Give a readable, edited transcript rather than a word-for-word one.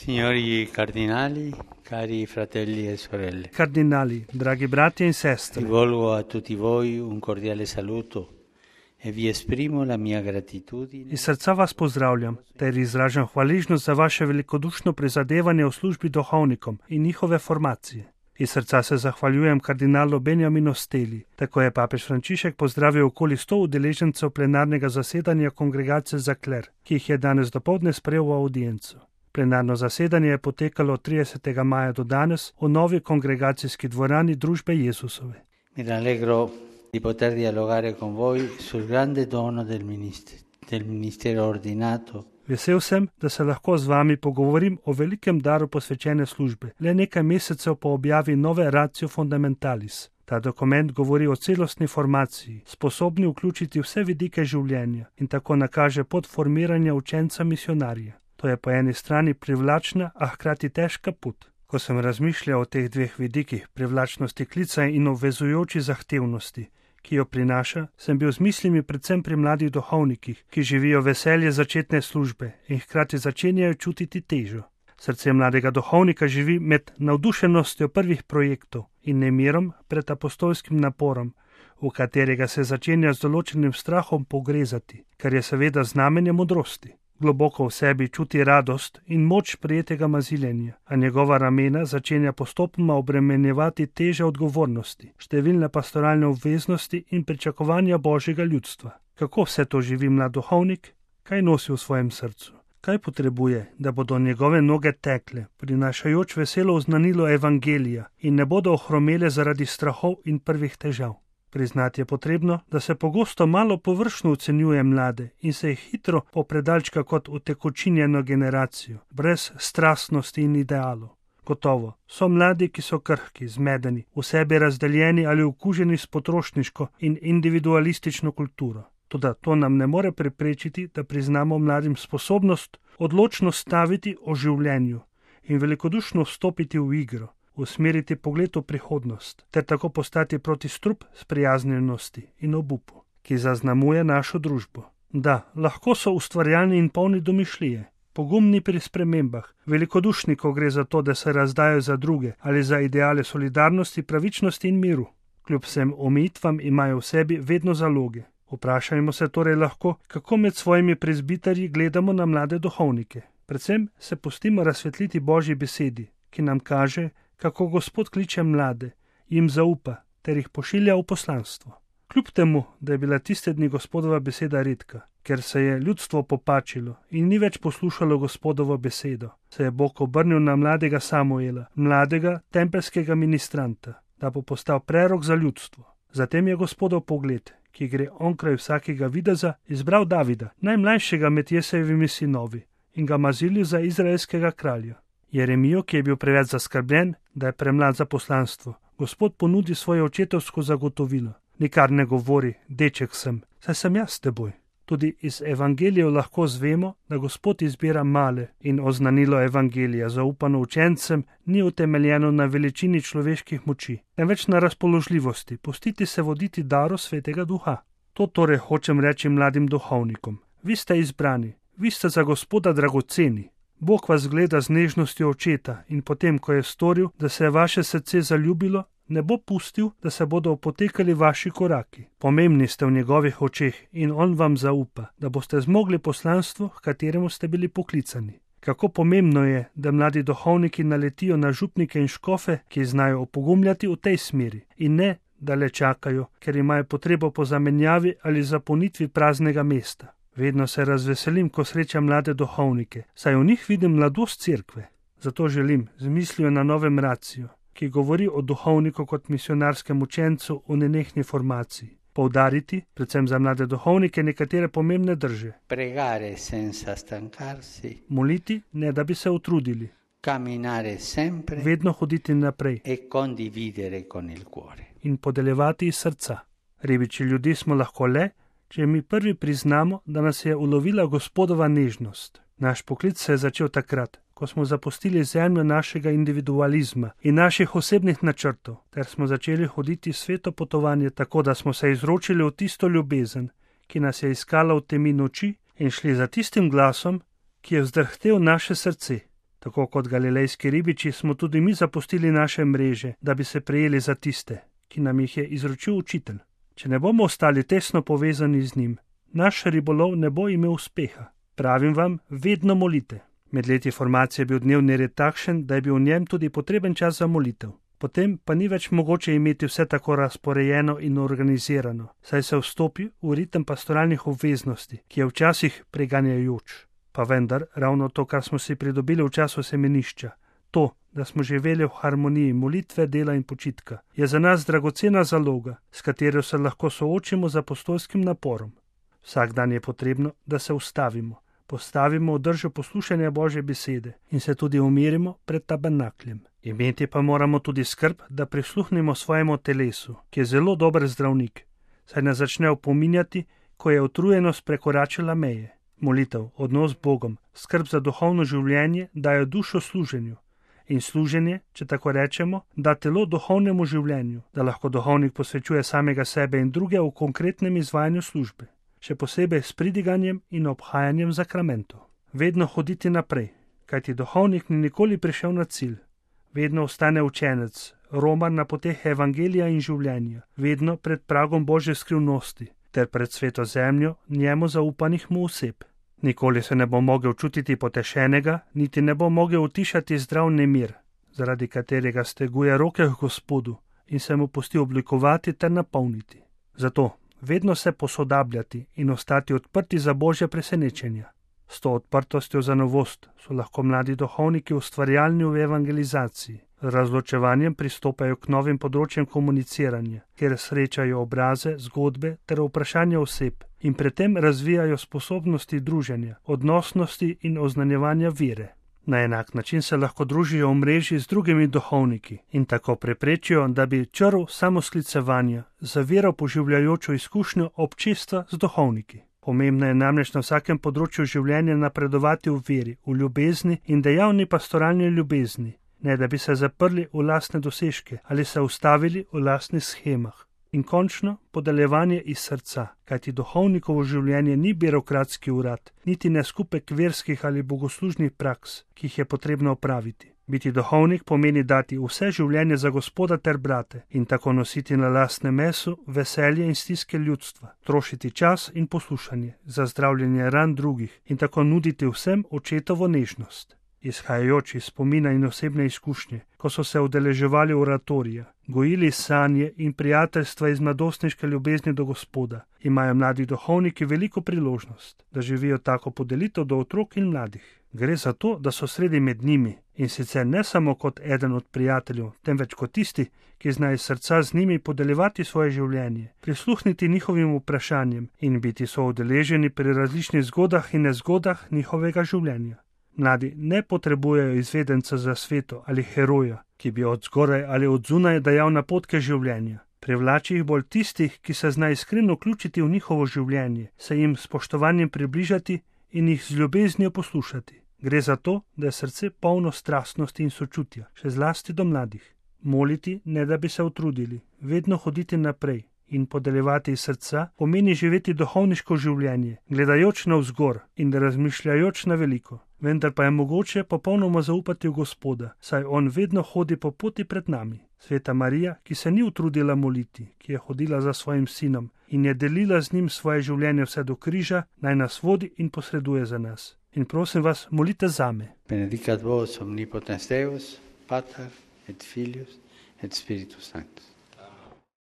Signori cardinali, cari fratelli e sorelle, Cardinali, dragi brati in sestre, rivolgo a tutti voi un cordiale saluto e vi esprimo la mia gratitudine. iz srca vas pozdravljam, ter izražam hvaležnost za vaše velikodušno prizadevanje v službi duhovnikom in njihove formacije. Iz srca se zahvaljujem kardinalu Benjaminu Steli, tako je papež Frančišek pozdravil okoli 100 udeležencev plenarnega zasedanja Kongregacije za kler, ki jih je danes dopoldne sprejel v audiencu. Plenarno zasedanje je potekalo od 30. maja do danes v novi kongregacijski dvorani Družbe Jezusove. Mi rallegro di poter dialogare con voi sul grande dono del ministero ordinato. Vesel sem, da se lahko z vami pogovorim o velikem daru posvečene službe, le nekaj mesecev po objavi nove Ratio Fundamentalis. Ta dokument govori o celostni formaciji, sposobni vključiti vse vidike življenja in tako nakaže pot formiranja učenca misionarja. To je po eni strani privlačna, a hkrati težka pot. Ko sem razmišljal o teh dveh vidikih, privlačnosti klica in obvezujoči zahtevnosti, ki jo prinaša, sem bil z mislimi predvsem pri mladih duhovnikih, ki živijo veselje začetne službe in hkrati začenjajo čutiti težo. Srce mladega duhovnika živi med navdušenostjo prvih projektov in nemirom pred apostolskim naporom, v katerega se začenja z določenim strahom pogrezati, kar je seveda znamenje modrosti. Globoko v sebi čuti radost in moč prijetega maziljenja, a njegova ramena začenja postopoma obremenjevati teže odgovornosti, številne pastoralne obveznosti in pričakovanja Božjega ljudstva. Kako vse to živi mlad duhovnik? Kaj nosi v svojem srcu? Kaj potrebuje, da bodo njegove noge tekle, prinašajoč veselo oznanilo evangelija in ne bodo ohromele zaradi strahov in prvih težav? Priznati je potrebno, da se pogosto malo površno ocenjuje mlade in se jih hitro popredalčka kot utekočinjeno generacijo, brez strastnosti in idealov. Gotovo, so mladi, ki so krhki, zmedeni, v sebi razdeljeni ali okuženi s potrošniško in individualistično kulturo. Toda to nam ne more preprečiti, da priznamo mladim sposobnost odločno staviti o življenju in velikodušno vstopiti v igro, usmeriti pogled v prihodnost, ter tako postati protistrup sprijaznjenosti in obupu, ki zaznamuje našo družbo. Da, lahko so ustvarjalni in polni domišljije, pogumni pri spremembah, velikodušni, ko gre za to, da se razdajo za druge ali za ideale solidarnosti, pravičnosti in miru. Kljub vsem omejitvam imajo v sebi vedno zaloge. Vprašajmo se torej lahko, kako med svojimi prezbiterji gledamo na mlade duhovnike. Predvsem se pustimo razsvetliti Božji besedi, ki nam kaže, kako Gospod kliče mlade, jim zaupa, ter jih pošilja v poslanstvo. Kljub temu, da je bila tiste dni Gospodova beseda redka, ker se je ljudstvo popačilo in ni več poslušalo Gospodovo besedo, se je Bog obrnil na mladega Samuela, mladega tempelskega ministranta, da bo postal prerok za ljudstvo. Zatem je Gospodov pogled, ki gre onkraj vsakega videza, izbral Davida, najmlajšega med Jesejevimi sinovi, in ga mazilil za izraelskega kralja. Jeremijo, ki je bil preveč zaskrbljen, da je premlad za poslanstvo, Gospod ponudi svoje očetovsko zagotovilo. Nikar ne govori, deček sem, saj sem jaz s teboj. Tudi iz evangelijev lahko zvemo, da Gospod izbira male in oznanilo evangelija zaupano učencem ni utemeljeno na veličini človeških moči, temveč na razpoložljivosti, pustiti se voditi daru Svetega Duha. To torej hočem reči mladim duhovnikom. Vi ste izbrani, vi ste za Gospoda dragoceni. Bog vas gleda z nežnostjo očeta in potem, ko je storil, da se je vaše srce zaljubilo, ne bo pustil, da se bodo opotekali vaši koraki. Pomembni ste v njegovih očeh in on vam zaupa, da boste zmogli poslanstvo, h kateremu ste bili poklicani. Kako pomembno je, da mladi duhovniki naletijo na župnike in škofe, ki znajo opogumljati v tej smeri in ne, da le čakajo, ker imajo potrebo po zamenjavi ali zapolnitvi praznega mesta. Vedno se razveselim, ko srečam mlade duhovnike, saj v njih vidim mladost cerkve. Zato želim z mislijo na novem Ratio, ki govori o duhovniku kot misionarskem učencu v nenehni formaciji, poudariti, predvsem za mlade duhovnike, nekatere pomembne drže. Pregare senza stancarsi. Moliti, ne da bi se utrudili. Camminare sempre. Vedno hoditi naprej. E condividere con il cuore. In podeljevati iz srca. Ribiči ljudi smo lahko le, če mi prvi priznamo, da nas je ulovila Gospodova nežnost. Naš poklic se je začel takrat, ko smo zapustili zemljo našega individualizma in naših osebnih načrtov, ter smo začeli hoditi sveto potovanje tako, da smo se izročili v tisto ljubezen, ki nas je iskala v temi noči in šli za tistim glasom, ki je vzdrhtel naše srce. Tako kot galilejski ribiči smo tudi mi zapustili naše mreže, da bi se prijeli za tiste, ki nam jih je izročil učitelj. Če ne bomo ostali tesno povezani z njim, naš ribolov ne bo imel uspeha. Pravim vam, vedno molite. Med leti formacije je bil dnevni red takšen, da je bil v njem tudi potreben čas za molitev. Potem pa ni več mogoče imeti vse tako razporejeno in organizirano, saj se vstopi v ritem pastoralnih obveznosti, ki je včasih preganjajoč. Pa vendar, ravno to, kar smo si pridobili v času semenišča, to, da smo živeli v harmoniji molitve, dela in počitka, je za nas dragocena zaloga, s katero se lahko soočimo z apostolskim naporom. Vsak dan je potrebno, da se ustavimo, postavimo v držo poslušanja Božje besede in se tudi umirimo pred tabernakljem. Imeti pa moramo tudi skrb, da prisluhnemo svojemu telesu, ki je zelo dober zdravnik, saj nas začne opominjati, ko je utrujenost prekoračila meje. Molitev, odnos z Bogom, skrb za duhovno življenje dajo dušo služenju. In služenje, če tako rečemo, da telo duhovnemu življenju, da lahko duhovnik posvečuje samega sebe in druge v konkretnem izvajanju službe, še posebej s pridiganjem in obhajanjem zakramentov. Vedno hoditi naprej, kajti duhovnik ni nikoli prišel na cilj. Vedno ostane učenec, romar na poteh evangelija in življenja, vedno pred pragom Božje skrivnosti, ter pred sveto zemljo njemu zaupanih mu oseb. Nikoli se ne bo mogel čutiti potešenega, niti ne bo mogel utišati zdrav nemir, zaradi katerega steguje roke k Gospodu in se mu pusti oblikovati ter napolniti. Zato vedno se posodabljati in ostati odprti za Božje presenečenja. S to odprtostjo za novost so lahko mladi duhovniki ustvarjalni v evangelizaciji. Z razločevanjem pristopajo k novim področjem komuniciranja, kjer srečajo obraze, zgodbe ter vprašanja oseb in predtem razvijajo sposobnosti druženja, odnosnosti in oznanjevanja vere. Na enak način se lahko družijo v mreži z drugimi duhovniki in tako preprečijo, da bi črv samosklicevanja zaviral poživljajočo izkušnjo občestva z duhovniki. Pomembno je namreč na vsakem področju življenja napredovati v veri, v ljubezni in dejavni pastoralni ljubezni, ne da bi se zaprli v lastne dosežke ali se ustavili v lastnih shemah. In končno podeljevanje iz srca, kajti duhovnikovo življenje ni birokratski urad, niti ne skupek verskih ali bogoslužnih praks, ki jih je potrebno opraviti. Biti duhovnik pomeni dati vse življenje za Gospoda ter brate in tako nositi na lastne mesu veselje in stiske ljudstva, trošiti čas in poslušanje za zdravljenje ran drugih in tako nuditi vsem očetovo nežnost. Izhajajoč iz spomina in osebne izkušnje, ko so se udeleževali oratorija, gojili sanje in prijateljstva iz mladostniške ljubezni do Gospoda, imajo mladi duhovniki veliko priložnost, da živijo tako podelitev do otrok in mladih. Gre za to, da so sredi med njimi in sicer ne samo kot eden od prijateljev, temveč kot tisti, ki znajo srca z njimi podeljevati svoje življenje, prisluhniti njihovim vprašanjem in biti soudeleženi pri različnih zgodah in nezgodah njihovega življenja. Mladi ne potrebujejo izvedenca za sveto ali heroja, ki bi od zgoraj ali od zunaj dajal napotke življenja. Privlači jih bolj tistih, ki se znajo iskreno vključiti v njihovo življenje, se jim s spoštovanjem približati in jih z ljubeznijo poslušati. Gre za to, da je srce polno strastnosti in sočutja, še zlasti do mladih. Moliti, ne da bi se utrudili, vedno hoditi naprej in podeljevati iz srca pomeni živeti duhovniško življenje, gledajoč navzgor in razmišljajoč na veliko. Vendar pa je mogoče popolnoma zaupati v Gospoda, saj on vedno hodi po poti pred nami. Sveta Marija, ki se ni utrudila moliti, ki je hodila za svojim sinom in je delila z njim svoje življenje vse do križa, naj nas vodi in posreduje za nas. In prosim vas, molite zame. Benedicat vos omnipotens Deus, Pater et Filius et Spiritus Sanctus.